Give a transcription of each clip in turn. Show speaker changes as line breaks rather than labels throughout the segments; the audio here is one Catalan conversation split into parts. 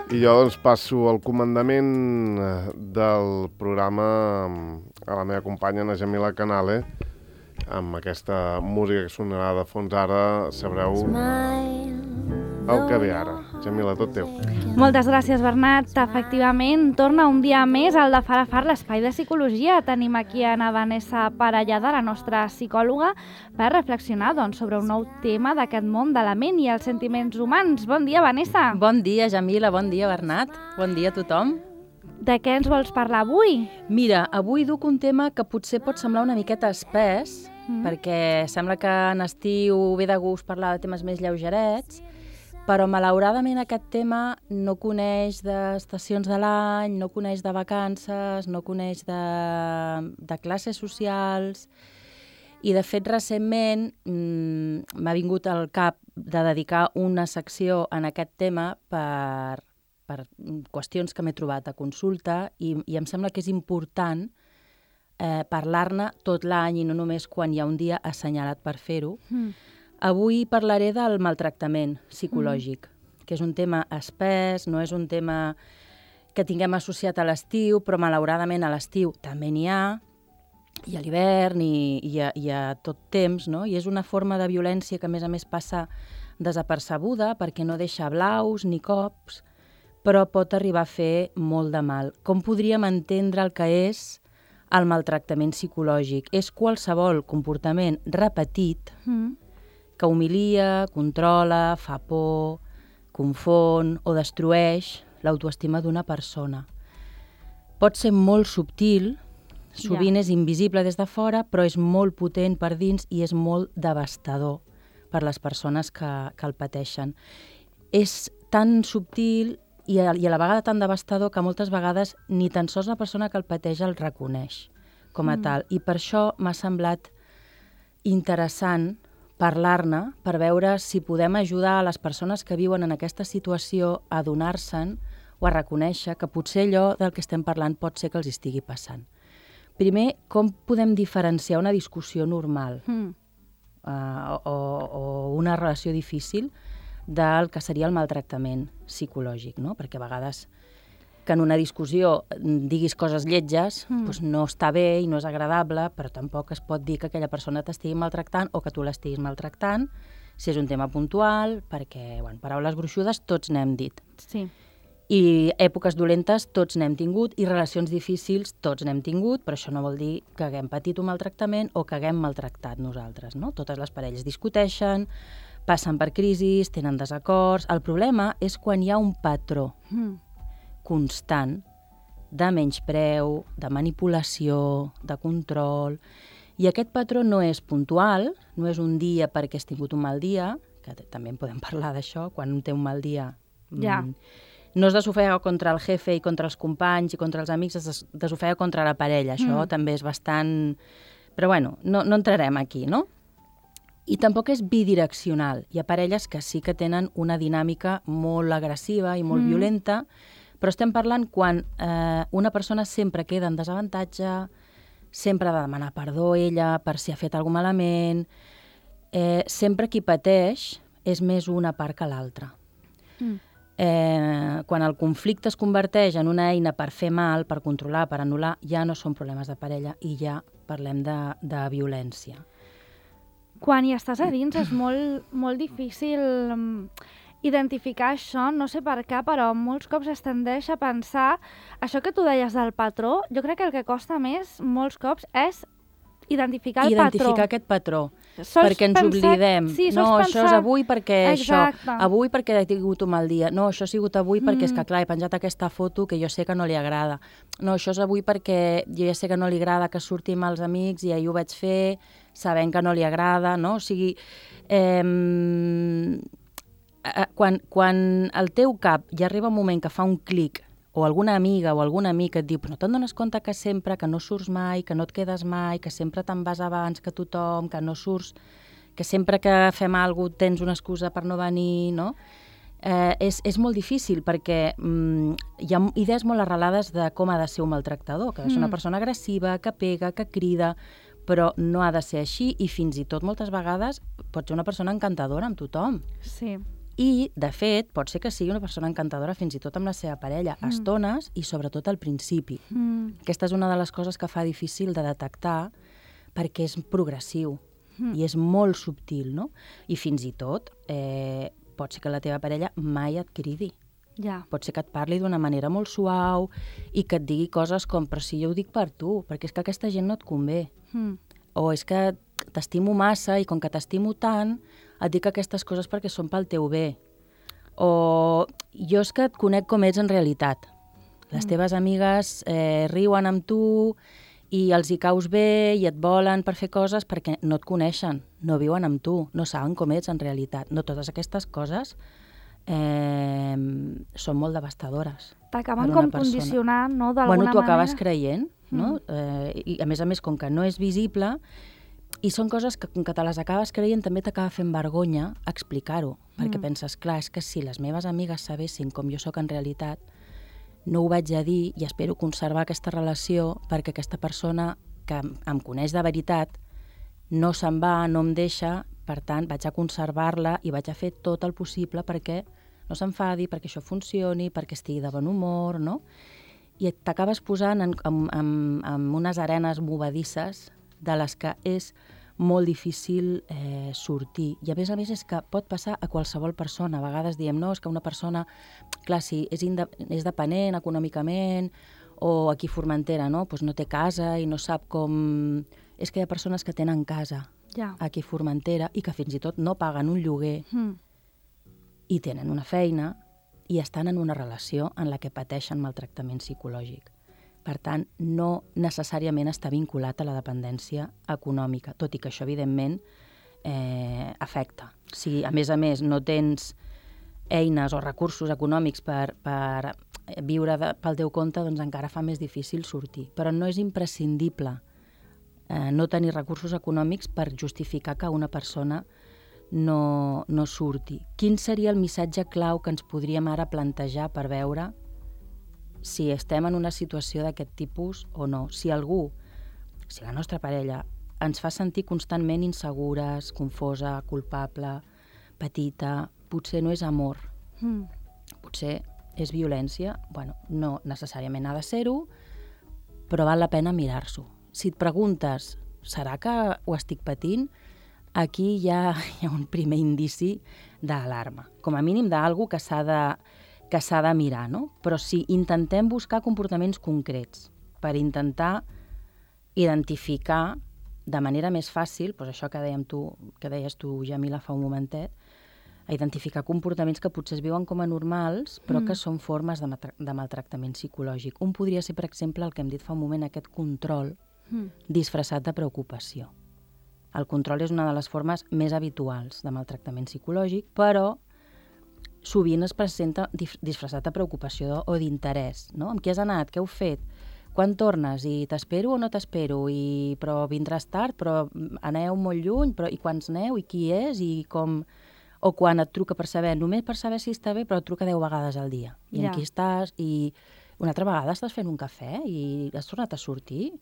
I jo doncs passo el comandament del programa a la meva companya, na Jamila Canale, amb aquesta música que sonarà de fons ara, sabreu el que ve ara. Jamila, tot teu.
Moltes gràcies, Bernat. Efectivament, torna un dia més al de Far a Far, l'espai de psicologia. Tenim aquí a na Vanessa Parellada, la nostra psicòloga, per reflexionar sobre un nou tema d'aquest món de la ment i els sentiments humans. Bon dia, Vanessa.
Bon dia, Jamila. Bon dia, Bernat. Bon dia a tothom.
De què ens vols parlar avui?
Mira, avui duc un tema que potser pot semblar una miqueta espès, perquè sembla que en estiu ve de gust parlar de temes més lleugerets, però malauradament aquest tema no coneix d'estacions de l'any, no coneix de vacances, no coneix de classes socials, i de fet recentment m'ha vingut al cap de dedicar una secció en aquest tema per qüestions que m'he trobat a consulta i em sembla que és important parlar-ne tot l'any i no només quan hi ha un dia assenyalat per fer-ho. Avui parlaré del maltractament psicològic, que és un tema espès, no és un tema que tinguem associat a l'estiu, però malauradament a l'estiu també n'hi ha, i a l'hivern i a tot temps, no? I és una forma de violència que a més passa desapercebuda perquè no deixa blaus ni cops, però pot arribar a fer molt de mal. Com podríem entendre el que és el maltractament psicològic? És qualsevol comportament repetit que humilia, controla, fa por, confon o destrueix l'autoestima d'una persona. Pot ser molt subtil, sovint és invisible des de fora, però és molt potent per dins i és molt devastador per les persones que el pateixen. És tan subtil i a la vegada tan devastador que moltes vegades ni tan sols la persona que el pateix el reconeix com a tal. I per això m'ha semblat interessant parlar-ne per veure si podem ajudar a les persones que viuen en aquesta situació a adonar-se'n o a reconèixer que potser allò del que estem parlant pot ser que els estigui passant. Primer, com podem diferenciar una discussió normal o una relació difícil del que seria el maltractament psicològic, no? Perquè a vegades que en una discussió diguis coses lletges doncs no està bé i no és agradable, però tampoc es pot dir que aquella persona t'estigui maltractant o que tu l'estiguis maltractant, si és un tema puntual, perquè, paraules gruixudes tots n'hem dit.
Sí.
I èpoques dolentes tots n'hem tingut i relacions difícils tots n'hem tingut, però això no vol dir que haguem patit un maltractament o que haguem maltractat nosaltres, no? Totes les parelles discuteixen, passen per crisis, tenen desacords. El problema és quan hi ha un patró constant de menyspreu, de manipulació, de control. I aquest patró no és puntual, no és un dia perquè has tingut un mal dia, que també en podem parlar d'això, quan un té un mal dia. No es desofega contra el jefe i contra els companys i contra els amics, es desofega contra la parella. Això també és bastant... Però no entrarem aquí, no? I tampoc és bidireccional. Hi ha parelles que sí que tenen una dinàmica molt agressiva i molt violenta, però estem parlant quan una persona sempre queda en desavantatge, sempre ha de demanar perdó ella per si ha fet alguna cosa malament, sempre qui pateix és més una part que l'altra. Quan el conflicte es converteix en una eina per fer mal, per controlar, per anul·lar, ja no són problemes de parella i ja parlem de violència.
Quan hi estàs a dins és molt difícil identificar això, no sé per què, però molts cops es tendeix a pensar, això que tu deies del patró, jo crec que el que costa més molts cops és identificar el patró.
Identificar aquest patró, perquè ens oblidem. No, això és avui perquè això, avui perquè he tingut un mal dia. No, això ha sigut avui perquè és que, clar, he penjat aquesta foto que jo sé que no li agrada. No, això és avui perquè jo ja sé que no li agrada que surti amb els amics i ahir ho vaig fer sabent que no li agrada, no? O sigui, quan al teu cap ja arriba un moment que fa un clic o alguna amiga o algun amic et diu però no te'n dones compte que sempre, que no surts mai, que no et quedes mai, que sempre te'n vas abans que tothom, que no surts, que sempre que fem alguna cosa tens una excusa per no venir, no? És molt difícil perquè hi ha idees molt arrelades de com ha de ser un maltractador, que ha de ser una persona agressiva, que pega, que crida, però no ha de ser així i fins i tot moltes vegades pot ser una persona encantadora amb tothom.
Sí.
I, de fet, pot ser que sigui una persona encantadora fins i tot amb la seva parella, a estones i sobretot al principi. Aquesta és una de les coses que fa difícil de detectar perquè és progressiu i és molt subtil, no? I fins i tot pot ser que la teva parella mai et cridi.
Ja.
Pot ser que et parli d'una manera molt suau i que et digui coses com però si jo ho dic per tu, perquè és que aquesta gent no et convé. O és que t'estimo massa i com que t'estimo tant et dic aquestes coses perquè són pel teu bé. O jo és que et conec com ets en realitat. Les teves amigues riuen amb tu i els hi caus bé i et volen per fer coses perquè no et coneixen, no viuen amb tu, no saben com ets en realitat. No, totes aquestes coses són molt devastadores.
T'acaben com condicionant, no?, d'alguna manera.
Bueno, t'ho acabes creient, no? I a més, com que no és visible, i són coses que, com que te les acabes creient, també t'acaba fent vergonya explicar-ho, perquè penses, clar, és que si les meves amigues sabessin com jo sóc en realitat, no ho vaig a dir i espero conservar aquesta relació perquè aquesta persona que em coneix de veritat no se'n va, no em deixa, per tant, vaig a conservar-la i vaig a fer tot el possible perquè no s'enfadi, perquè això funcioni, perquè estigui de bon humor, no? I t'acabes posant en unes arenes movedisses de les que és molt difícil sortir. I a més és que pot passar a qualsevol persona. A vegades diem, no, és que una persona, clar, si és dependent econòmicament, o aquí a Formentera, no? Pues no té casa i no sap com... És que hi ha persones que tenen casa aquí a Formentera i que fins i tot no paguen un lloguer i tenen una feina i estan en una relació en la que pateixen maltractament psicològic. Per tant, no necessàriament està vinculat a la dependència econòmica, tot i que això, evidentment, afecta. Si, a més, no tens eines o recursos econòmics per viure pel teu compte, doncs encara fa més difícil sortir. Però no és imprescindible no tenir recursos econòmics per justificar que una persona no surti. Quin seria el missatge clau que ens podríem ara plantejar per veure si estem en una situació d'aquest tipus o no? Si algú, si la nostra parella, ens fa sentir constantment insegures, confosa, culpable, petita, potser no és amor, potser és violència, bueno, no necessàriament ha de ser-ho, però val la pena mirar-s'ho. Si et preguntes, serà que ho estic patint? Aquí hi ha un primer indici d'alarma, com a mínim d'algú que s'ha de mirar, no? Però si intentem buscar comportaments concrets per intentar identificar de manera més fàcil, doncs això que deies tu, Jamila, fa un momentet, a identificar comportaments que potser es viuen com a normals, però que són formes de maltractament psicològic. Un podria ser, per exemple, el que hem dit fa un moment, aquest control disfressat de preocupació. El control és una de les formes més habituals de maltractament psicològic, però sovint es presenta disfressat de preocupació o d'interès, no? Amb qui has anat? Què heu fet? Quan tornes? I t'espero o no t'espero? Però vindràs tard? Però aneu molt lluny? I quants aneu? I qui és? I com... O quan et truca només per saber si està bé, però et truca 10 vegades al dia. I amb qui estàs? I una altra vegada estàs fent un cafè i has tornat a sortir?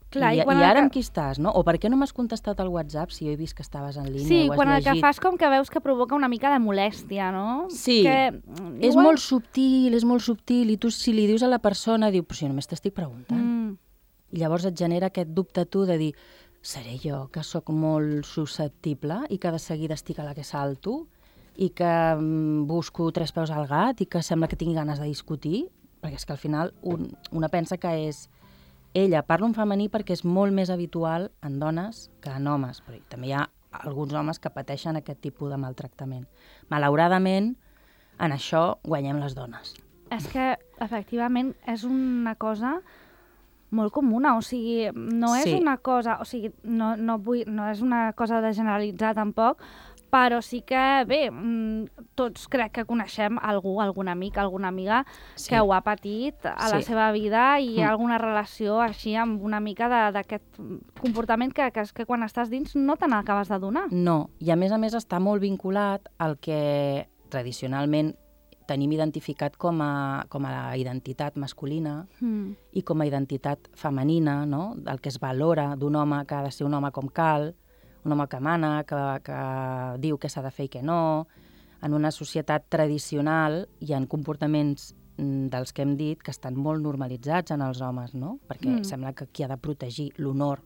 Clar,
I ara amb qui estàs, no? O per què no m'has contestat al WhatsApp si jo he vist que estaves en línia o has llegit?
Sí, quan el que fas com que veus que provoca una mica de molèstia, no?
Sí, és molt subtil, i tu si li dius a la persona, diu, però si només t'estic preguntant. I llavors et genera aquest dubte tu de dir, seré jo que sóc molt susceptible i que de seguida estic a la que salto i que busco 3 peus al gat i que sembla que tingui ganes de discutir? Perquè és que al final una pensa que és ella. Parlo en femení perquè és molt més habitual en dones que en homes, però també hi ha alguns homes que pateixen aquest tipus de maltractament. Malauradament, en això guanyem les dones.
És que, efectivament, és una cosa molt comuna, o sigui, no és una cosa, o sigui, no és una cosa de generalitzar tampoc, però sí que, bé, tots crec que coneixem algú, algun amic, alguna amiga que ho ha patit a la seva vida i alguna relació així amb una mica d'aquest comportament que quan estàs dins no te n'acabes de donar.
No, i a més està molt vinculat al que tradicionalment tenim identificat com a identitat masculina i com a identitat femenina, no? El que es valora d'un home que ha de ser un home com cal, un home que mana, que diu què s'ha de fer i què no, en una societat tradicional hi ha comportaments dels que hem dit que estan molt normalitzats en els homes, no? Perquè sembla que qui ha de protegir l'honor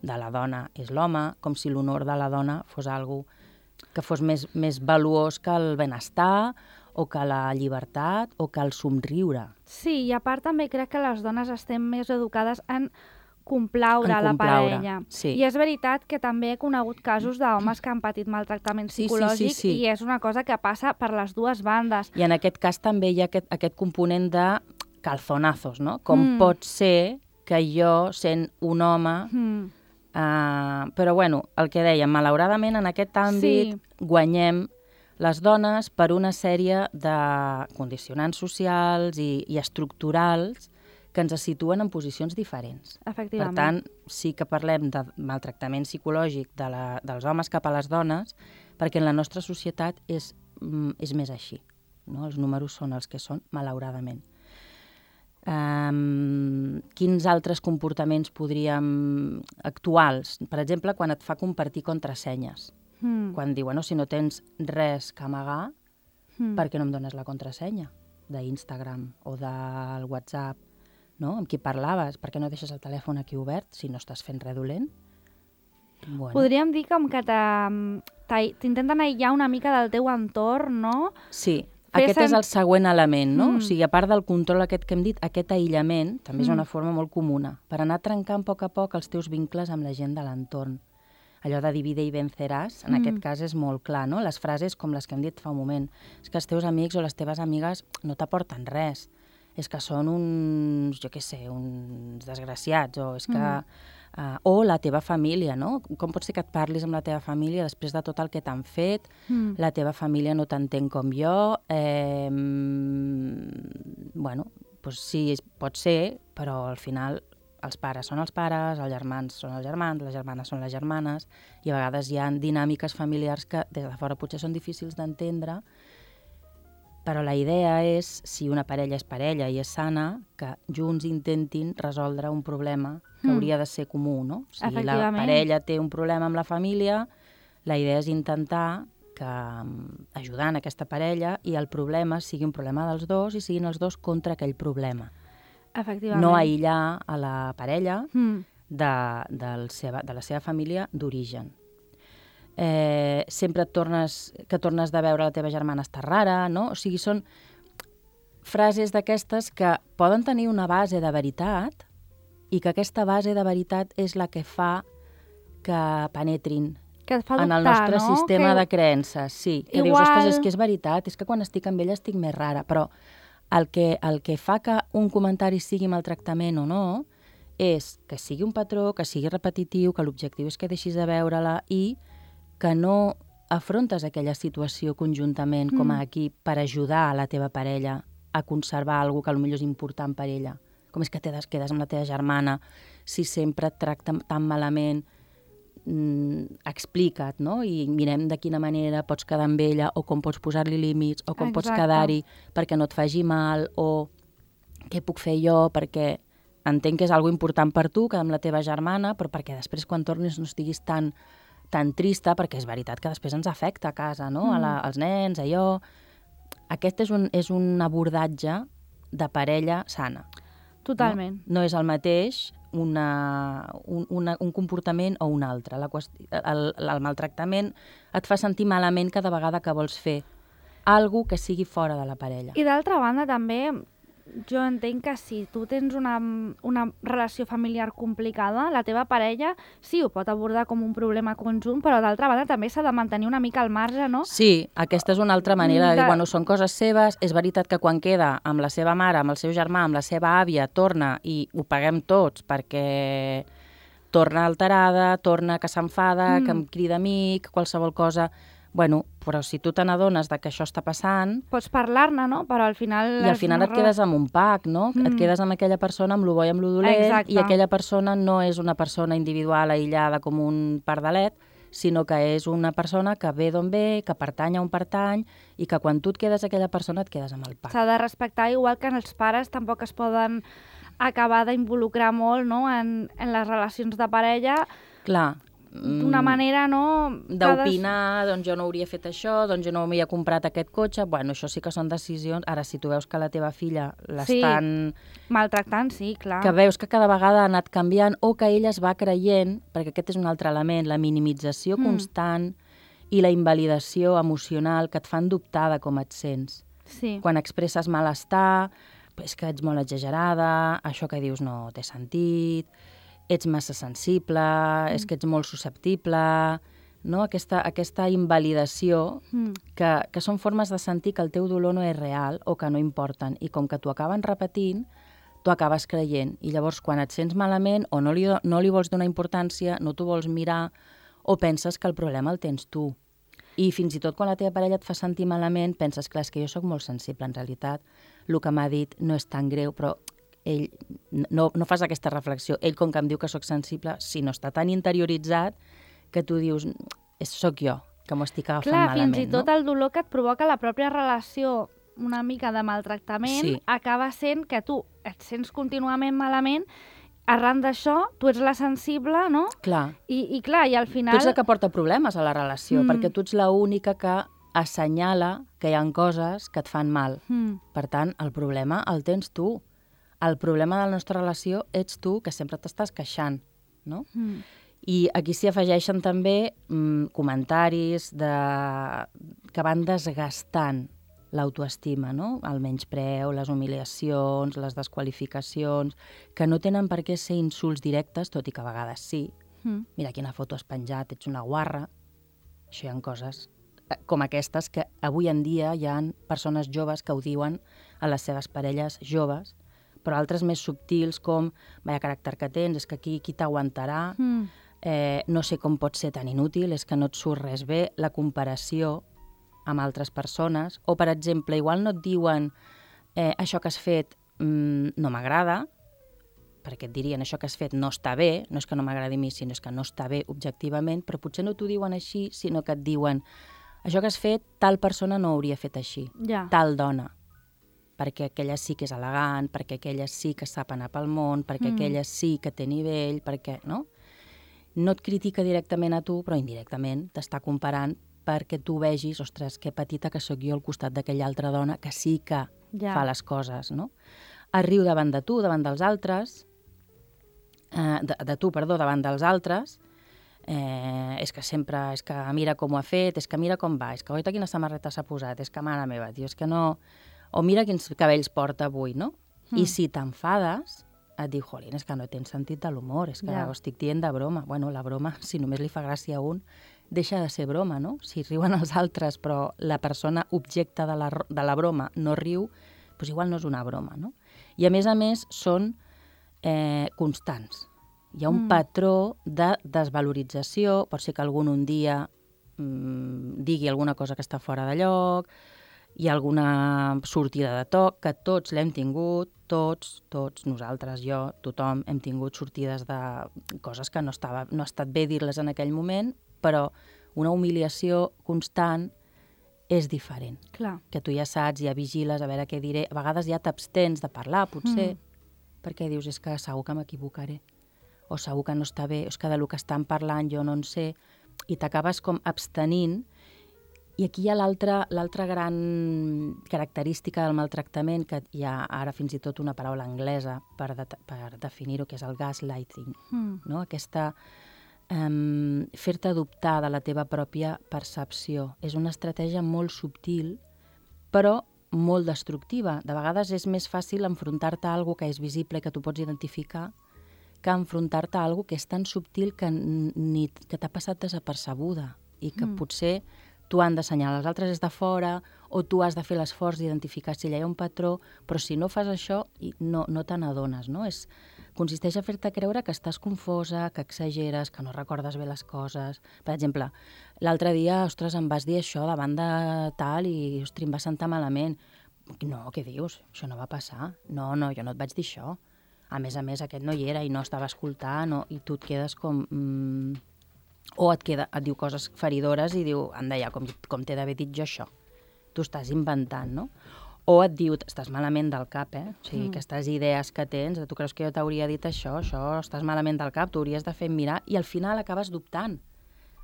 de la dona és l'home, com si l'honor de la dona fos algo que fos més valuós que el benestar o que la llibertat o que el somriure.
Sí, i a part també crec que les dones estem més educades en complaure la parella.
Sí.
I és veritat que també he conegut casos d'homes que han patit maltractament psicològic
sí.
I és una cosa que passa per les dues bandes.
I en aquest cas també hi ha aquest component de calzonazos, no? Com pot ser que jo, sent un home... però bueno, el que dèiem, malauradament en aquest àmbit guanyem les dones per una sèrie de condicionants socials i estructurals que ens situen en posicions diferents.
Efectivament.
Per tant, sí que parlem de maltractament psicològic dels homes cap a les dones, perquè en la nostra societat és més així. No? Els números són els que són, malauradament. Quins altres comportaments podríem... actuals? Per exemple, quan et fa compartir contrasenyes. Quan diu, bueno, si no tens res que amagar, per què no em dones la contrasenya d'Instagram o del WhatsApp? No? Amb qui parlaves? Per què no deixes el telèfon aquí obert si no estàs fent res dolent? Bueno.
Podríem dir com que t'intenten aïllar una mica del teu entorn, no?
Sí, aquest és el següent element, no? O sigui, a part del control aquest que hem dit, aquest aïllament també és una forma molt comuna per anar trencant a poc els teus vincles amb la gent de l'entorn. Allò de divide i venceràs, en aquest cas és molt clar, no? Les frases com les que hem dit fa un moment. És que els teus amics o les teves amigues no t'aporten res. És que són uns, jo què sé, uns desgraciats, o és que... o la teva família, no? Com pot ser que et parlis amb la teva família després de tot el que t'han fet? La teva família no t'entén com jo? Bueno, doncs sí, pot ser, però al final els pares són els pares, els germans són els germans, les germanes són les germanes, i a vegades hi ha dinàmiques familiars que des de fora potser són difícils d'entendre, però la idea és, si una parella és parella i és sana, que junts intentin resoldre un problema que hauria de ser comú, no? O sigui, la parella té un problema amb la família, la idea és intentar que ajudant aquesta parella i el problema sigui un problema dels dos i siguin els dos contra aquell problema.
Efectivament.
No aïllar a la parella de la seva família d'origen. Sempre que tornes de veure la teva germana està rara, no? O sigui, són frases d'aquestes que poden tenir una base de veritat i que aquesta base de veritat és la que fa que penetrin en el nostre sistema de creences. Sí, que dius, ostres, és que és veritat, és que quan estic amb ella estic més rara, però el que fa que un comentari sigui maltractament o no és que sigui un patró, que sigui repetitiu, que l'objectiu és que deixis de veure-la i que no afrontes aquella situació conjuntament com a equip per ajudar a la teva parella a conservar alguna que potser és important per ella. Com és que te quedes amb la teva germana si sempre et tracta tan malament? Explica't, no? I mirem de quina manera pots quedar amb ella o com pots posar-li límits o com pots quedar-hi perquè no et faci mal o què puc fer jo perquè entenc que és algo important per tu, quedar amb la teva germana, però perquè després quan tornis no estiguis tan trista, perquè és veritat que després ens afecta a casa, no? Als nens, allò... Aquest és un abordatge de parella sana.
Totalment.
No és el mateix un comportament o un altre. El maltractament et fa sentir malament cada vegada que vols fer alguna que sigui fora de la parella.
I d'altra banda també jo entenc que si tu tens una relació familiar complicada, la teva parella sí ho pot abordar com un problema conjunt, però d'altra banda també s'ha de mantenir una mica al marge, no?
Sí, aquesta és una altra manera de dir, bueno, són coses seves, és veritat que quan queda amb la seva mare, amb el seu germà, amb la seva àvia, torna i ho paguem tots perquè torna alterada, torna que s'enfada, que em crida amic, qualsevol cosa... Bueno, però si tu te n'adones que això està passant...
Pots parlar-ne, no? Però al final...
I al final et quedes amb un pack, no? Et quedes amb aquella persona, amb lo bo i amb lo dolent, i aquella persona no és una persona individual aïllada com un pardalet, sinó que és una persona que ve d'on ve, que pertany a un pertany, i que quan tu et quedes aquella persona et quedes amb el pack.
S'ha de respectar, igual que els pares tampoc es poden acabar d'involucrar molt, no? en les relacions de parella.
Clar.
d'una manera, no...
d'opinar, doncs jo no hauria fet això, doncs jo no m'havia comprat aquest cotxe. Bueno, això sí que són decisions. Ara, si tu veus que la teva filla l'estan...
Sí, maltractant, sí, clar.
Que veus que cada vegada ha anat canviant o que ella es va creient, perquè aquest és un altre element, la minimització constant i la invalidació emocional que et fan dubtar de com et sents.
Sí.
Quan expresses malestar, és que ets molt exagerada, això que dius no té sentit, ets massa sensible, és que ets molt susceptible, no? Aquesta invalidació que són formes de sentir que el teu dolor no és real o que no importen, i com que t'ho acaben repetint, t'ho acabes creient. I llavors, quan et sents malament o no li vols donar importància, no t'ho vols mirar, o penses que el problema el tens tu. I fins i tot quan la teva parella et fa sentir malament, penses, clar, és que jo sóc molt sensible, en realitat. El que m'ha dit no és tan greu, però ell no fas aquesta reflexió. Ell, com que em diu que sóc sensible, si no està tan interioritzat que tu dius, sóc jo, que m'ho estic agafant malament.
Clar, fins i tot el dolor que et provoca la pròpia relació una mica de maltractament acaba sent que tu et sents contínuament malament. Arran d'això, tu ets la sensible, no?
Clar.
I clar, i al final...
Tu ets la que porta problemes a la relació, perquè tu ets l'única que assenyala que hi ha coses que et fan mal. Per tant, el problema el tens tu. El problema de la nostra relació ets tu, que sempre t'estàs queixant, no? I aquí s'hi afegeixen també comentaris que van desgastant l'autoestima, no? El menyspreu, les humiliacions, les desqualificacions, que no tenen per què ser insults directes, tot i que a vegades sí. Mira quina foto has penjat, ets una guarra. Això hi ha coses com aquestes que avui en dia hi ha persones joves que ho diuen a les seves parelles joves, però altres més subtils com, vaya caràcter que tens, és que qui t'aguantarà, no sé com pots ser tan inútil, és que no et surt res bé, la comparació amb altres persones, o, per exemple, igual no et diuen això que has fet no m'agrada, perquè et dirien això que has fet no està bé, no és que no m'agradi a mi, sinó és que no està bé objectivament, però potser no t'ho diuen així, sinó que et diuen això que has fet, tal persona no ho hauria fet així, tal dona, perquè aquella sí que és elegant, perquè aquella sí que sap anar pel món, perquè aquella sí que té nivell, perquè, no? No et critica directament a tu, però indirectament t'està comparant perquè tu vegis, ostres, que petita que sóc jo al costat d'aquella altra dona que sí que fa les coses, no? Es riu davant de tu, davant dels altres, davant dels altres, és que sempre, és que mira com ho ha fet, és que mira com va, és que oita quina samarreta s'ha posat, és que mare meva, tio, és que no... O mira quins cabells porta avui, no? I si t'enfades, et diu, jolín, és que no tens sentit de l'humor, és que ho estic dient de broma. Bueno, la broma, si només li fa gràcia a un, deixa de ser broma, no? Si riuen els altres, però la persona objecte de la broma no riu, doncs igual no és una broma, no? I a més, són constants. Hi ha un patró de desvalorització, pot ser que algun un dia digui alguna cosa que està fora de lloc, hi ha alguna sortida de toc, que tots l'hem tingut, tots, nosaltres, jo, tothom, hem tingut sortides de coses que no ha estat bé dir-les en aquell moment, però una humiliació constant és diferent.
Clar.
Que tu ja saps, ja vigiles, a veure què diré. A vegades ja t'abstens de parlar, potser, perquè dius, és que segur que m'equivocaré, o segur que no està bé, és que del que estan parlant jo no en sé, i t'acabes com abstenint. I aquí hi ha l'altra gran característica del maltractament, que hi ha ara fins i tot una paraula anglesa per definir-ho, que és el gaslighting, no? Aquesta fer-te dubtar de la teva pròpia percepció. És una estratègia molt subtil, però molt destructiva. De vegades és més fàcil enfrontar-te a alguna que és visible i que tu pots identificar que enfrontar-te a alguna que és tan subtil que t'ha passat desapercebuda i que potser tu han d'assenyalar als altres des de fora o tu has de fer l'esforç d'identificar si hi ha un patró, però si no fas això no te n'adones, no? Consisteix a fer-te creure que estàs confosa, que exageres, que no recordes bé les coses. Per exemple, l'altre dia, ostres, em vas dir això davant de tal i, ostres, em va sentar malament. No, què dius? Això no va passar. No, jo no et vaig dir això. A més, aquest no hi era i no estava escoltant, i tu et quedes com... O et diu coses feridores i diu, anda ja, com t'he d'haver dit jo això. Tu estàs inventant, no? O et diu, estàs malament del cap, O sigui, aquestes idees que tens, tu creus que jo t'hauria dit això, estàs malament del cap, t'ho hauries de fer mirar, i al final acabes dubtant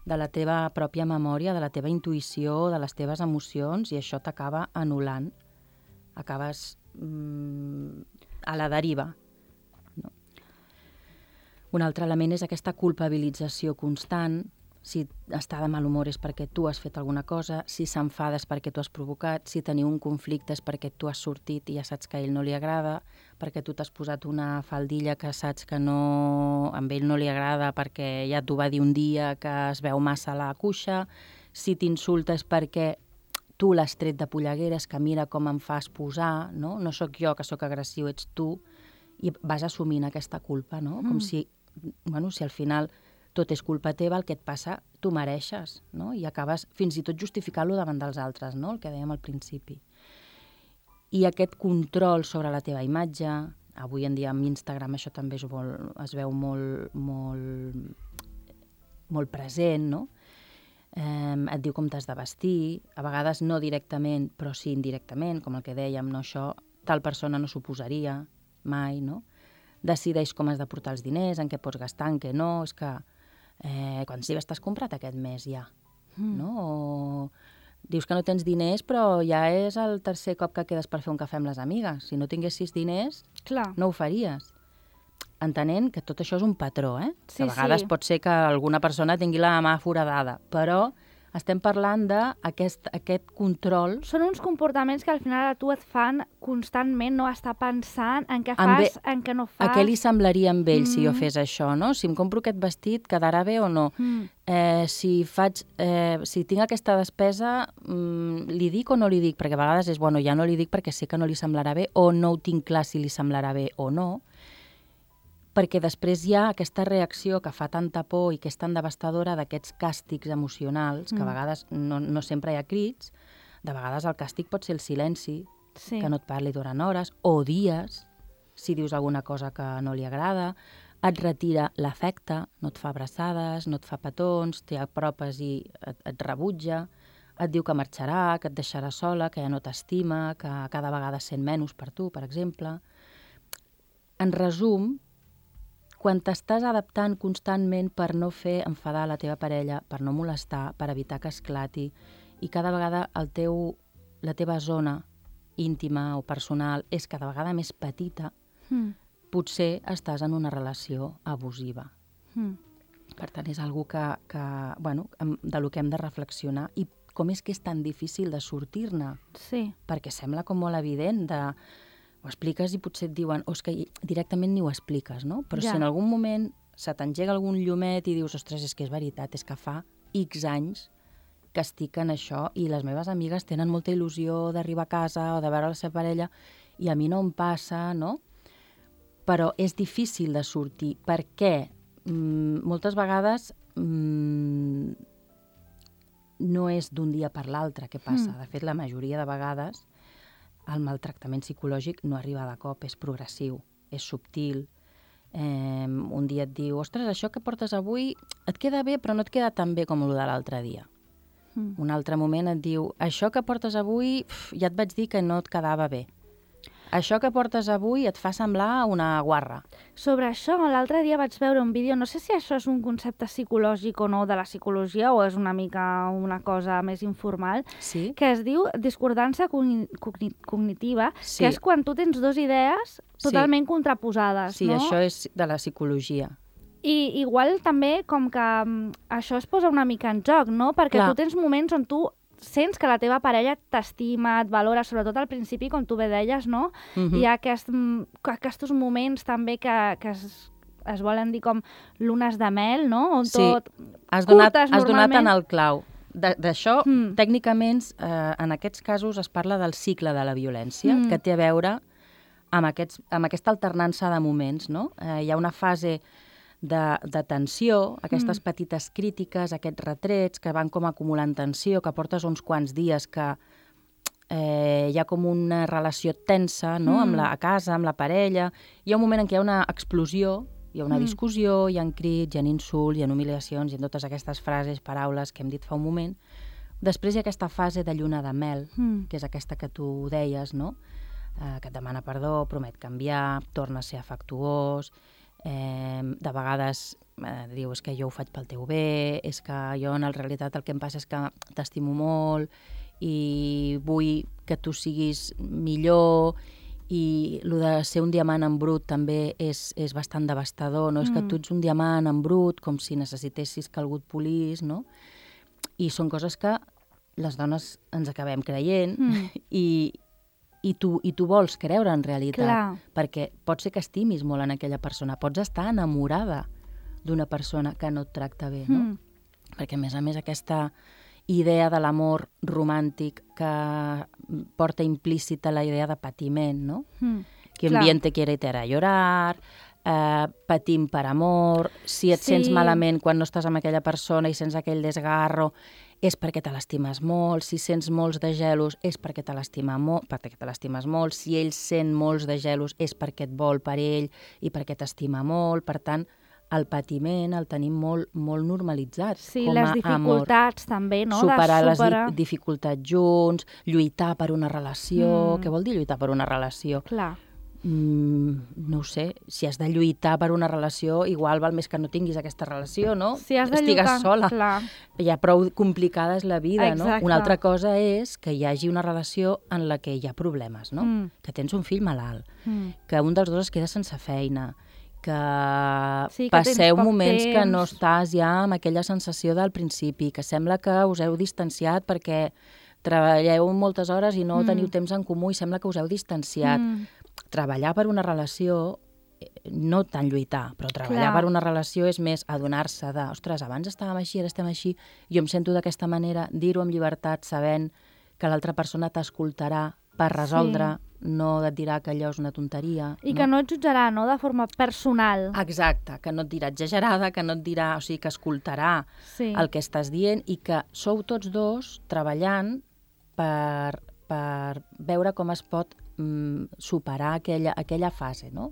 de la teva pròpia memòria, de la teva intuïció, de les teves emocions, i això t'acaba anul·lant. Acabes a la deriva. No? Un altre element és aquesta culpabilització constant. Si està de mal humor és perquè tu has fet alguna cosa, si s'enfada és perquè tu has provocat, si teniu un conflicte és perquè tu has sortit i ja saps que a ell no li agrada, perquè tu t'has posat una faldilla que saps que a ell no li agrada perquè ja t'ho va dir un dia que es veu massa a la cuixa, si t'insulta és perquè tu l'has tret de pollegueres, que mira com em fas posar, no? No sóc jo que sóc agressiu, ets tu, i vas assumint aquesta culpa, no? Com si, si al final tot és culpa teva, el que et passa, tu mereixes, no? I acabes fins i tot justificant-lo davant dels altres, no? El que dèiem al principi. I aquest control sobre la teva imatge, avui en dia amb Instagram això també es veu molt present, no? Et diu com t'has de vestir, a vegades no directament, però sí indirectament, com el que dèiem, no? Això tal persona no suposaria mai, no? Decideix com has de portar els diners, en què pots gastar, en què no, és que quants llibres t'has comprat aquest mes ja, no? O dius que no tens diners, però ja és el tercer cop que quedes per fer un cafè amb les amigues. Si no tinguessis diners, no ho faries. Entenent que tot això és un patró,
Sí,
que a vegades pot ser que alguna persona tingui la mà foradada, però estem parlant d'aquest control.
Són uns comportaments que al final a tu et fan constantment no estar pensant en què fas, en què no fas.
A què li semblaria amb ell si jo fes això, no? Si em compro aquest vestit, quedarà bé o no? Si tinc aquesta despesa, li dic o no li dic? Perquè a vegades és, ja no li dic perquè sé que no li semblarà bé, o no ho tinc clar si li semblarà bé o no. Perquè després hi ha aquesta reacció que fa tanta por i que és tan devastadora d'aquests càstigs emocionals, que a vegades no sempre hi ha crits, de vegades el càstig pot ser el silenci, que no et parli durant hores, o dies, si dius alguna cosa que no li agrada, et retira l'afecte, no et fa abraçades, no et fa petons, t'hi apropes i et rebutja, et diu que marxarà, que et deixarà sola, que ja no t'estima, que cada vegada sent menys per tu, per exemple. En resum, quan t'estàs adaptant constantment per no fer enfadar la teva parella, per no molestar, per evitar que esclati, i cada vegada la teva zona íntima o personal és cada vegada més petita, potser estàs en una relació abusiva. Per tant, és algo de lo que hem de reflexionar. I com és que és tan difícil de sortir-ne?
Sí.
Perquè sembla com molt evident ho expliques i potser et diuen és que directament ni ho expliques, no? Però si en algun moment se t'engega algun llumet i dius, ostres, és que és veritat, és que fa X anys que estic en això i les meves amigues tenen molta il·lusió d'arribar a casa o de veure la seva parella i a mi no em passa, no? Però és difícil de sortir perquè moltes vegades no és d'un dia per l'altre que passa. De fet, la majoria de vegades el maltractament psicològic no arriba de cop, és progressiu, és subtil. Un dia et diu, ostres, això que portes avui et queda bé, però no et queda tan bé com el de l'altre dia. Un altre moment et diu, això que portes avui, ja et vaig dir que no et quedava bé. Això que portes avui et fa semblar una guarra.
Sobre això, l'altre dia vaig veure un vídeo, no sé si això és un concepte psicològic o no de la psicologia o és una mica una cosa més informal, que es diu discordança cognitiva, que és quan tu tens dues idees totalment contraposades.
Sí, això és de la psicologia.
I igual també com que això es posa una mica en joc, no? Perquè tu tens moments on tu sents que la teva parella t'estima, et valora, sobretot al principi, com tu bé deies, no? Hi ha aquests moments també que es volen dir com lunes de mel, no? On tot
has donat en el clau. D'això, tècnicament, en aquests casos es parla del cicle de la violència, que té a veure amb aquesta alternança de moments, no? Hi ha una fase de tensió, aquestes petites crítiques, aquests retrets que van com acumulant tensió, que portes uns quants dies que hi ha com una relació tensa, no? A casa, amb la parella. Hi ha un moment en què hi ha una explosió, hi ha una discussió, hi ha crits, hi ha insults, hi ha humiliacions, hi ha totes aquestes frases, paraules que hem dit fa un moment. Després hi ha aquesta fase de lluna de mel, que és aquesta que tu deies, no? Que et demana perdó, promet canviar, torna a ser afectuós, de vegades diu és que jo ho faig pel teu bé, és que jo en realitat el que em passa és que t'estimo molt i vull que tu siguis millor, i el de ser un diamant en brut també és bastant devastador, no? És que tu ets un diamant en brut, com si necessitessis que algú et polís, no? I són coses que les dones ens acabem creient i tu vols creure en realitat.
Clar.
Perquè pot ser que estimis molt en aquella persona, pots estar enamorada d'una persona que no et tracta bé, no? Perquè, a més, aquesta idea de l'amor romàntic que porta implícita la idea de patiment, no? Que un bien te quiere te hará llorar, patim per amor, si et sents malament quan no estàs amb aquella persona i sents aquell desgarro, és perquè te l'estimes molt, si sents molts de gelos és perquè te l'estimes molt, si ell sent molts de gelos és perquè et vol per ell i perquè t'estima molt, per tant, el patiment el tenim molt normalitzat
sí,
com a amor.
Sí, les dificultats també, no?
Superar les dificultats junts, lluitar per una relació. Què vol dir lluitar per una relació?
Clar.
No ho sé, si has de lluitar per una relació, igual val més que no tinguis aquesta relació, no?
Si has de
estigues
lluitar,
sola.
clar.
Ja prou complicada és la vida,
Exacte.
no? Una altra cosa és que hi hagi una relació en la que hi ha problemes, no? Que tens un fill malalt, que un dels dos es queda sense feina, que passeu moments que no estàs ja amb aquella sensació del principi, que sembla que us heu distanciat perquè treballeu moltes hores i no teniu temps en comú i sembla que us heu distanciat. Treballar per una relació, no tant lluitar, però treballar per una relació és més adonar-se de, ostres, abans estàvem així, ara estem així, jo em sento d'aquesta manera, dir-ho amb llibertat, sabent que l'altra persona t'escoltarà per resoldre, no et dirà que allò és una tonteria.
I que no et jutjarà, no?, de forma personal.
Exacte, que no et dirà exagerada, que no et dirà, o sigui, que escoltarà el que estàs dient i que sou tots dos treballant per veure com es pot superar aquella fase, no?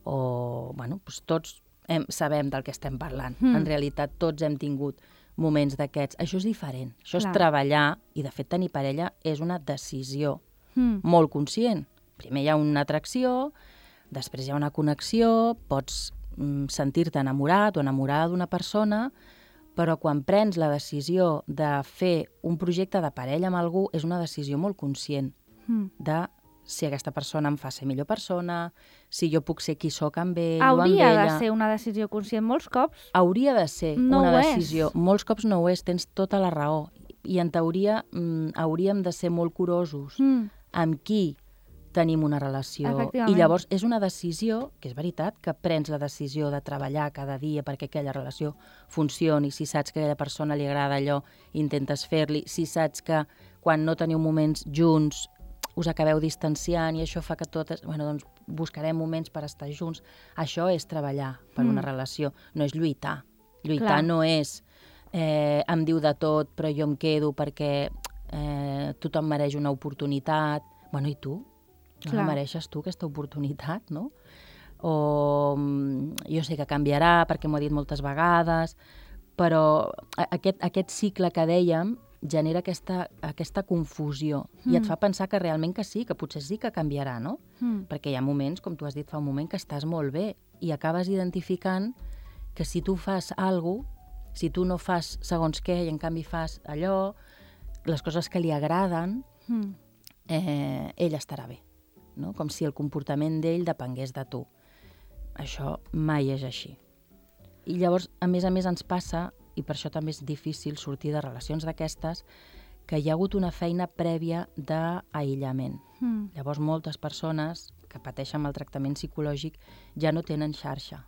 O, bueno, doncs tots sabem del que estem parlant. En realitat, tots hem tingut moments d'aquests. Això és diferent. Això és treballar, i de fet tenir parella és una decisió molt conscient. Primer hi ha una atracció, després hi ha una connexió, pots sentir-te enamorat o enamorada d'una persona, però quan prens la decisió de fer un projecte de parella amb algú és una decisió molt conscient de si aquesta persona em fa ser millor persona, si jo puc ser qui sóc amb ell o amb ella.
Hauria de ser una decisió conscient molts cops.
Hauria de ser una decisió. Molts cops no ho és, tens tota la raó. I en teoria hauríem de ser molt curosos amb qui tenim una relació. I llavors és una decisió, que és veritat, que prens la decisió de treballar cada dia perquè aquella relació funcioni. Si saps que a aquella persona li agrada allò, intentes fer-li. Si saps que quan no teniu moments junts us acabeu distanciant i això fa que totes... Bueno, doncs buscarem moments per estar junts. Això és treballar per una relació, no és lluitar. Lluitar no és em diu de tot, però jo em quedo perquè tothom mereix una oportunitat. Bueno, i tu? No la mereixes tu, aquesta oportunitat, no? O jo sé que canviarà perquè m'ho ha dit moltes vegades, però aquest cicle que dèiem genera aquesta confusió i et fa pensar que realment que sí, que potser sí que canviarà, no? Perquè hi ha moments, com tu has dit fa un moment, que estàs molt bé i acabes identificant que si tu fas alguna cosa, si tu no fas segons què i en canvi fas allò, les coses que li agraden, ell estarà bé, no? Com si el comportament d'ell depengués de tu. Això mai és així. I llavors, a més, ens passa, i per això també és difícil sortir de relacions d'aquestes, que hi ha hagut una feina prèvia d'aïllament. Llavors, moltes persones que pateixen maltractament psicològic ja no tenen xarxa.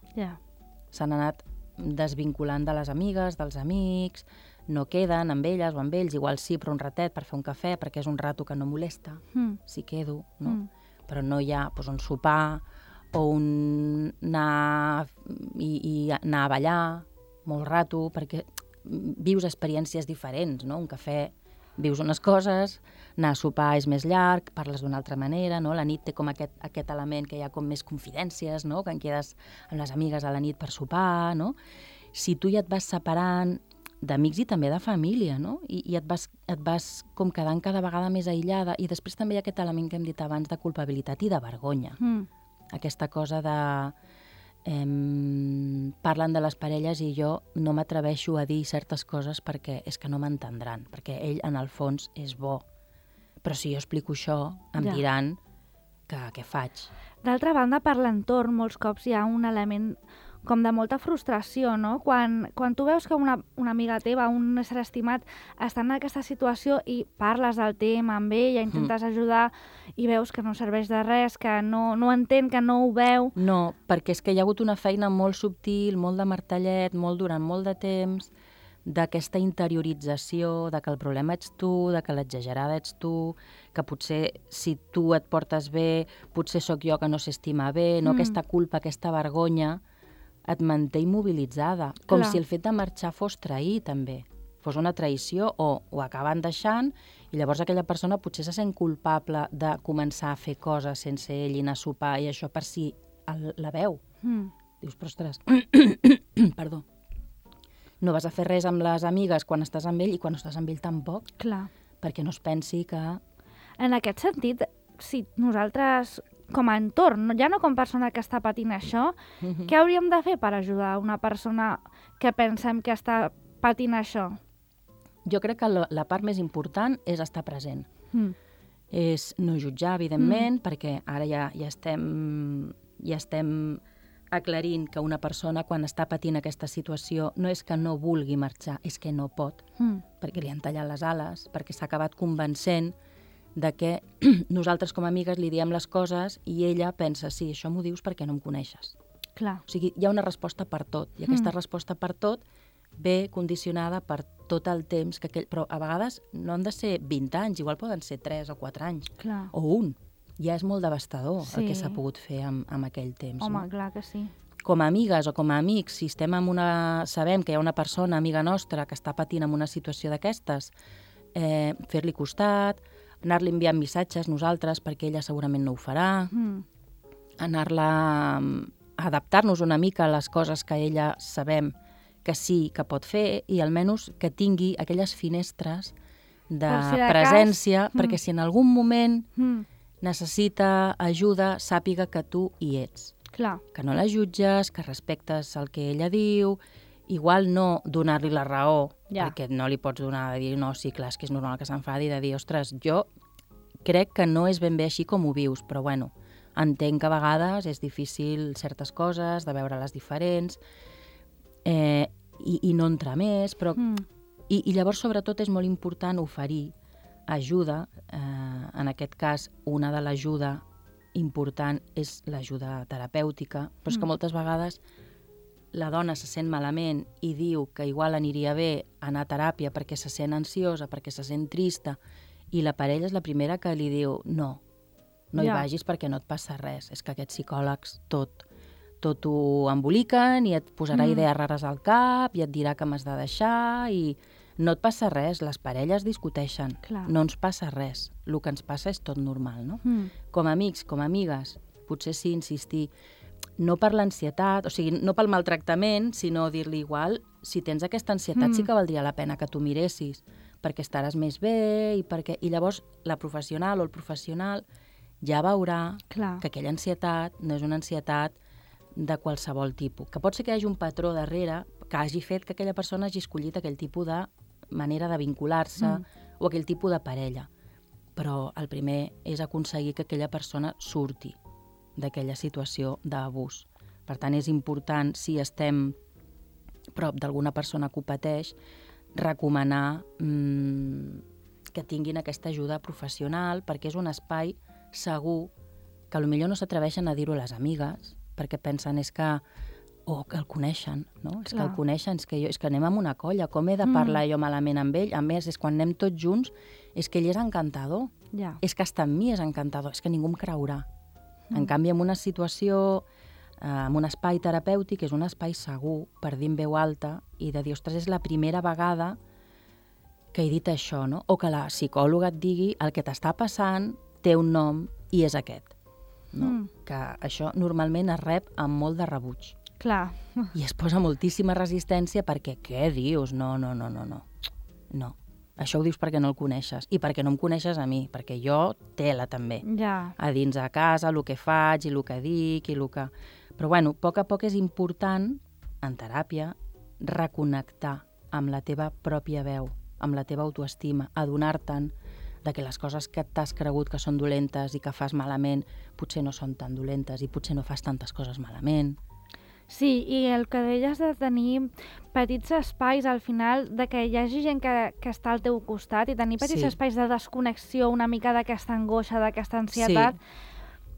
S'han anat desvinculant de les amigues, dels amics, no queden amb elles o amb ells, igual sí, però un ratet per fer un cafè, perquè és un rato que no molesta, si quedo, no? Però no hi ha un sopar o anar a ballar molt rato, perquè vius experiències diferents, no? Un cafè, vius unes coses, anar a sopar és més llarg, parles d'una altra manera, no? La nit té com aquest element que hi ha com més confidències, no? Que en quedes amb les amigues a la nit per sopar, no? Si tu ja et vas separant d'amics i també de família, no? I et vas com quedant cada vegada més aïllada, i després també hi ha aquest element que hem dit abans de culpabilitat i de vergonya. Aquesta cosa de... parlen de les parelles i jo no m'atreveixo a dir certes coses perquè és que no m'entendran, perquè ell en el fons és bo. Però si jo explico això, em diran que què faig.
D'altra banda, per l'entorn, molts cops hi ha un element com de molta frustració, no? Quan tu veus que una amiga teva, un ésser estimat, està en aquesta situació i parles del tema amb ella, intentes ajudar i veus que no serveix de res, que no entén, que no ho veu...
No, perquè és que hi ha hagut una feina molt subtil, molt de martellet, durant molt de temps, d'aquesta interiorització, de que el problema ets tu, de que l'exagerada ets tu, que potser si tu et portes bé, potser sóc jo que no s'estima bé, no? Aquesta culpa, aquesta vergonya et manté immobilitzada. Com si el fet de marxar fos trair, també. Fos una traïció o ho acaben deixant i llavors aquella persona potser se sent culpable de començar a fer coses sense ell i anar a sopar i això per si la veu. Dius, però ostres, perdó, no vas a fer res amb les amigues quan estàs amb ell i quan no estàs amb ell tampoc.
Clar.
Perquè no es pensi que...
En aquest sentit, si nosaltres, com a entorn, ja no com persona que està patint això, què hauríem de fer per ajudar una persona que pensem que està patint això?
Jo crec que la part més important és estar present. És no jutjar, evidentment, perquè ara ja estem aclarint que una persona, quan està patint aquesta situació, no és que no vulgui marxar, és que no pot, perquè li han tallat les ales, perquè s'ha acabat convencent de que nosaltres com a amigues li diem les coses i ella pensa, sí, això m'ho dius perquè no em coneixes.
Clar.
O sigui, hi ha una resposta per tot, i aquesta resposta per tot ve condicionada per tot el temps que aquell... Però a vegades no han de ser 20 anys, igual poden ser 3 o 4 anys,
clar,
o 1. Ja és molt devastador el que s'ha pogut fer amb aquell temps.
Home,
no?
clar que sí.
Com a amigues o com a amics, si estem sabem que hi ha una persona, amiga nostra, que està patint en una situació d'aquestes, fer-li costat, anar-li enviant missatges nosaltres, perquè ella segurament no ho farà, anar-la adaptar-nos una mica a les coses que ella sabem que sí que pot fer i almenys que tingui aquelles finestres de presència, perquè si en algun moment necessita ajuda, sàpiga que tu hi ets.
Clar.
Que no la jutges, que respectes el que ella diu, igual no donar-li la raó, perquè no li pots donar de dir, no, sí, clar, és que és normal que s'enfadi, de dir, ostres, jo crec que no és ben bé així com ho vius, però bueno, entenc que a vegades és difícil certes coses, de veure-les diferents, i no entrar més, però... I llavors, sobretot, és molt important oferir ajuda. En aquest cas, una de l'ajuda important és l'ajuda terapèutica, però és que moltes vegades la dona se sent malament i diu que igual aniria bé anar a teràpia perquè se sent ansiosa, perquè se sent trista, i la parella és la primera que li diu no hi vagis perquè no et passa res. És que aquests psicòlegs tot ho emboliquen i et posarà idees rares al cap i et dirà que m'has de deixar i no et passa res, les parelles discuteixen.
Clar.
No ens passa res, el que ens passa és tot normal, no? Com a amics, com a amigues, potser sí insistir, no per l'ansietat, o sigui, no pel maltractament, sinó dir-li igual, si tens aquesta ansietat sí que valdria la pena que tu miressis, perquè estaràs més bé i llavors la professional o el professional ja veurà que aquella ansietat no és una ansietat de qualsevol tipus. Que pot ser que hi hagi un patró darrere que hagi fet que aquella persona hagi escollit aquell tipus de manera de vincular-se o aquell tipus de parella. Però el primer és aconseguir que aquella persona surti d'aquella situació d'abús. Per tant, és important, si estem prop d'alguna persona que ho pateix, recomanar que tinguin aquesta ajuda professional, perquè és un espai segur que potser no s'atreveixen a dir-ho a les amigues, perquè pensen que el coneixen, no? És que el coneixen, és que anem amb una colla, com he de parlar jo malament amb ell? A més, és quan anem tots junts, és que ell és encantador, és que estar amb mi és encantador, és que ningú em creurà. En canvi, en una situació, en un espai terapèutic, és un espai segur per dir en veu alta i de dir, ostres, és la primera vegada que he dit això, no? O que la psicòloga et digui el que t'està passant té un nom i és aquest. No? Que això normalment es rep amb molt de rebuig.
Clar.
I es posa moltíssima resistència perquè, què dius? No. Això ho dius perquè no el coneixes. I perquè no em coneixes a mi, perquè jo tela també.
Ja.
A dins de casa, el que faig i el que dic i el que... Però bueno, a poc és important, en teràpia, reconnectar amb la teva pròpia veu, amb la teva autoestima, adonar-te'n de que les coses que t'has cregut que són dolentes i que fas malament potser no són tan dolentes i potser no fas tantes coses malament.
Sí, i el que deies de tenir petits espais al final, de que hi hagi gent que està al teu costat i tenir petits espais de desconnexió una mica d'aquesta angoixa, d'aquesta ansietat,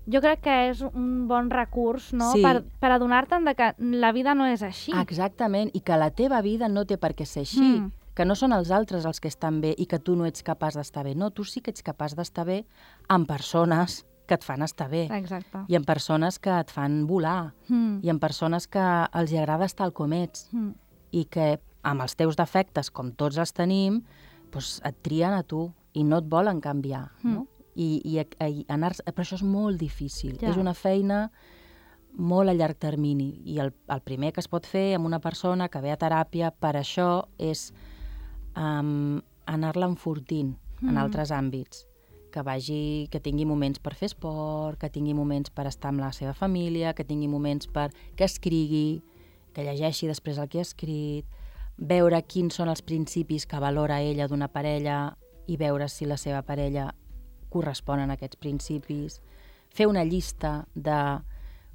jo crec que és un bon recurs, no?
Sí.
Per adonar-te'n de que la vida no és així.
Exactament, i que la teva vida no té per què ser així, que no són els altres els que estan bé i que tu no ets capaç d'estar bé. No, tu sí que ets capaç d'estar bé amb persones que et fan estar bé.
Exacte.
I amb persones que et fan volar. I amb persones que els agrada estar com ets. I que amb els teus defectes, com tots els tenim, doncs et trien a tu i no et volen canviar. No? I anar... Però això és molt difícil. Ja. És una feina molt a llarg termini. I el primer que es pot fer amb una persona que ve a teràpia per això és anar-la enfortint en altres àmbits. Que tingui moments per fer esport, que tingui moments per estar amb la seva família, que tingui moments per que escrigui, que llegeixi després el que ha escrit, veure quins són els principis que valora ella d'una parella i veure si la seva parella corresponen a aquests principis, fer una llista de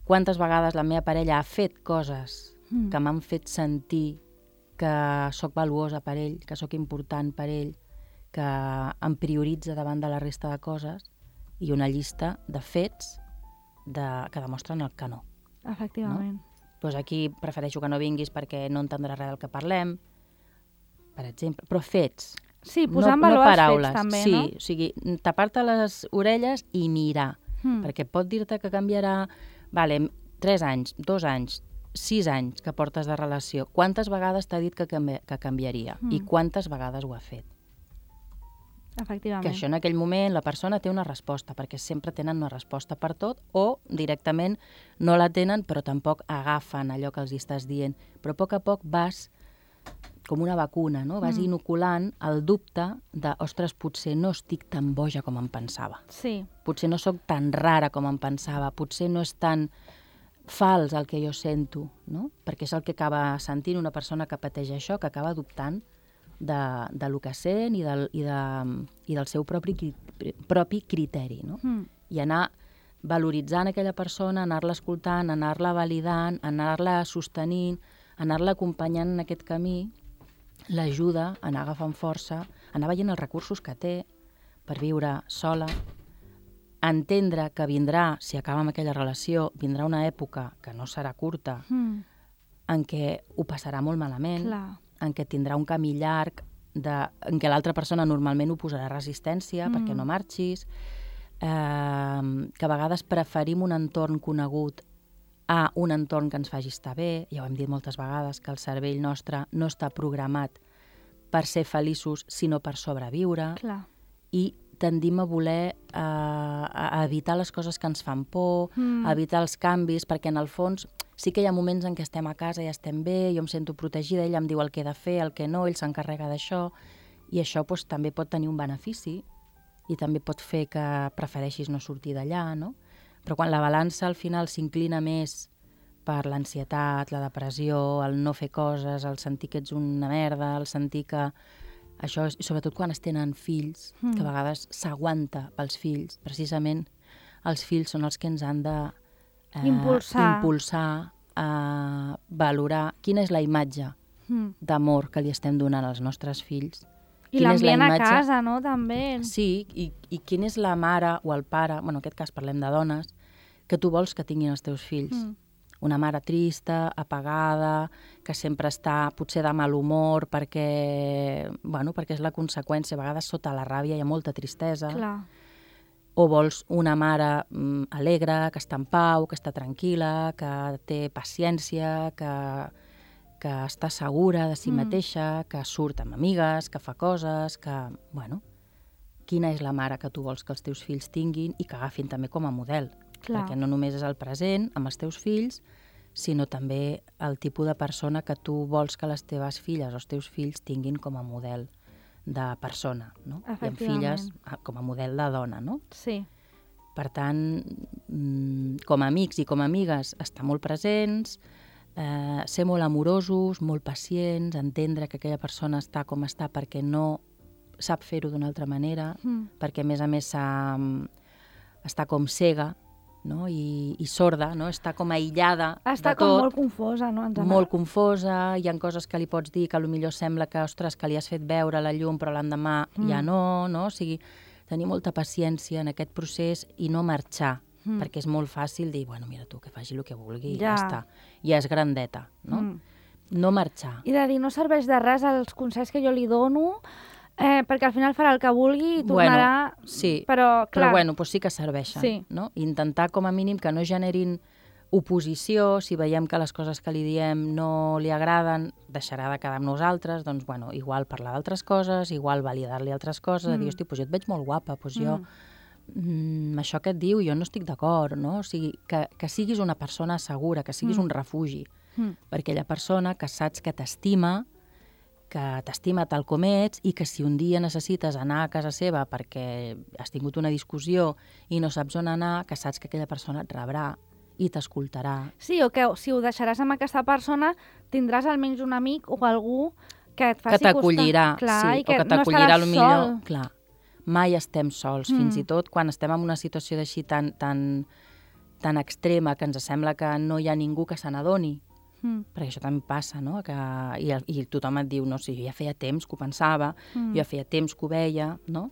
quantes vegades la meva parella ha fet coses que m'han fet sentir que sóc valuosa per ell, que sóc important per ell, que em prioritza davant de la resta de coses, i una llista de fets que demostren el que no.
Efectivament.
No? Doncs aquí prefereixo que no vinguis perquè no entendràs res del que parlem, per exemple, però fets.
Sí, posar en valor els fets també, no?
Sí, o sigui, tapar-te les orelles i mirar, perquè pot dir-te que canviarà, 3 anys, 2 anys, 6 anys que portes de relació. Quantes vegades t'ha dit que canviaria i quantes vegades ho ha fet?
Efectivament.
Que això en aquell moment la persona té una resposta, perquè sempre tenen una resposta per tot, o directament no la tenen però tampoc agafen allò que els estàs dient. Però a poc vas com una vacuna, no? Vas inoculant el dubte de, ostres, potser no estic tan boja com em pensava.
Sí.
Potser no sóc tan rara com em pensava, potser no és tan fals el que jo sento, no? Perquè és el que acaba sentint una persona que pateix això, que acaba dubtant de lo que sent i del seu propi criteri, no? I anar valoritzant aquella persona, anar-la escoltant, anar-la validant, anar-la sostenint, anar-la acompanyant en aquest camí, l'ajuda a anar agafant força, anar veient els recursos que té per viure sola, entendre que vindrà, si acaba amb aquella relació, vindrà una època que no serà curta, en què ho passarà molt malament, en què tindrà un camí llarg, en què l'altra persona normalment ho posarà resistència perquè no marxis, que a vegades preferim un entorn conegut a un entorn que ens faci estar bé. Ja ho hem dit moltes vegades, que el cervell nostre no està programat per ser feliços, sinó per sobreviure.
Clar.
I tendim a voler a evitar les coses que ens fan por, a evitar els canvis, perquè en el fons sí que hi ha moments en què estem a casa i estem bé, jo em sento protegida, ell em diu el que he de fer, el que no, ell s'encarrega d'això, i això doncs, també pot tenir un benefici i també pot fer que prefereixis no sortir d'allà, no? Però quan la balança al final s'inclina més per l'ansietat, la depressió, el no fer coses, el sentir que ets una merda, el sentir que això, sobretot quan es tenen fills, que a vegades s'aguanta pels fills, precisament els fills són els que ens han de impulsar a valorar quina és la imatge d'amor que li estem donant als nostres fills.
I l'ambient a casa, no?, també.
Sí, i quina és la mare o el pare, bueno, en aquest cas parlem de dones, que tu vols que tinguin els teus fills. Una mare trista, apagada, que sempre està potser de mal humor perquè és la conseqüència, a vegades sota la ràbia hi ha molta tristesa.
Clar.
O vols una mare alegre, que està en pau, que està tranquil·la, que té paciència, que està segura de si mateixa, que surt amb amigues, que fa coses, que, quina és la mare que tu vols que els teus fills tinguin i que agafin també com a model.
Clar.
Perquè no només és el present amb els teus fills, sinó també el tipus de persona que tu vols que les teves filles o els teus fills tinguin com a model de persona, no? I amb filles com a model de dona, no?
Sí.
Per tant, com a amics i com a amigues, estar molt presents, ser molt amorosos, molt pacients, entendre que aquella persona està com està perquè no sap fer-ho d'una altra manera, perquè a més està com cega, no? I sorda, no? Està com aïllada de tot.
Està com molt confosa, no?
Molt confosa, hi ha coses que li pots dir que potser sembla que, ostres, que li has fet veure la llum, però l'endemà ja no, no? O sigui, tenir molta paciència en aquest procés i no marxar, perquè és molt fàcil dir, bueno, mira tu, que faci el que vulgui, ja està. Ja és grandeta, no? No marxar.
I de dir, no serveix de res els consells que jo li dono, perquè al final farà el que vulgui i tornarà...
Bueno, sí,
però
bueno, doncs sí que serveixen. No? Intentar com a mínim que no generin oposició, si veiem que les coses que li diem no li agraden, deixarà de quedar amb nosaltres, doncs bueno, igual parlar d'altres coses, igual validar-li altres coses, dir, hosti, doncs jo et veig molt guapa, doncs jo... això que et diu jo no estic d'acord, no? O sigui, que siguis una persona segura, que siguis un refugi per aquella persona que saps que t'estima tal com ets i que si un dia necessites anar a casa seva perquè has tingut una discussió i no saps on anar, que saps que aquella persona et rebrà i t'escoltarà.
Sí, o que si ho deixaràs amb aquesta persona tindràs almenys un amic o algú que et faci
que t'acollirà,
costar.
Sí, o que t'acollirà no millor. Clar, mai estem sols, fins i tot quan estem en una situació d'així tan extrema que ens sembla que no hi ha ningú que se n'adoni. Perquè això també passa, no? I tothom et diu, no, sí, jo ja feia temps que ho pensava, jo ja feia temps que ho veia, no?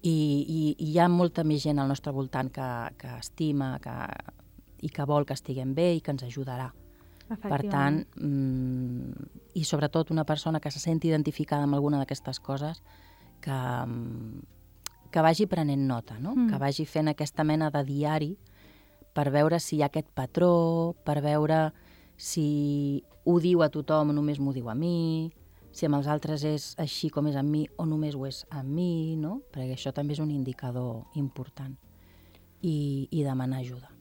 I hi ha molta més gent al nostre voltant que estima i que vol que estiguem bé i que ens ajudarà. Per tant, i sobretot una persona que se senti identificada amb alguna d'aquestes coses, que vagi prenent nota, no? Que vagi fent aquesta mena de diari per veure si hi ha aquest patró, per veure si ho diu a tothom o només m'ho diu a mi, si amb els altres és així com és amb mi o només ho és amb mi, no? Perquè això també és un indicador important. I demanar ajuda.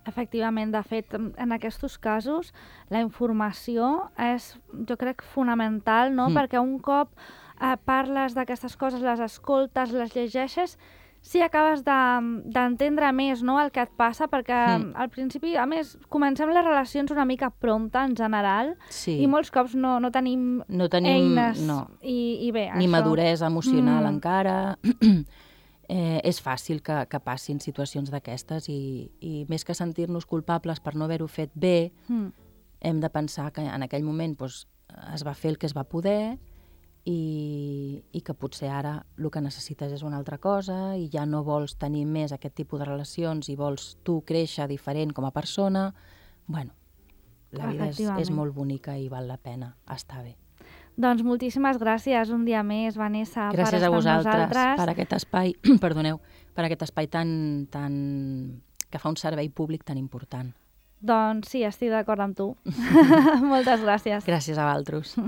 Efectivament, de fet, en aquests casos, la informació és, jo crec, fonamental, no? Perquè un cop parles d'aquestes coses, les escoltes, les llegeixes, sí acabes d'entendre més, no?, el que et passa, perquè al principi, a més, comencem les relacions una mica prompte, en general, i molts cops no tenim eines. I bé,
ni maduresa emocional encara. És fàcil que passin situacions d'aquestes i més que sentir-nos culpables per no haver-ho fet bé, hem de pensar que en aquell moment es va fer el que es va poder i que potser ara el que necessites és una altra cosa i ja no vols tenir més aquest tipus de relacions i vols tu créixer diferent com a persona. Bueno, la vida és molt bonica i val la pena estar bé.
Doncs moltíssimes gràcies un dia més, Vanessa, per estar amb nosaltres.
Gràcies a vosaltres per aquest espai, perdoneu, per aquest espai que fa un servei públic tan important.
Doncs sí, estic d'acord amb tu. Moltes gràcies.
Gràcies a vosaltres.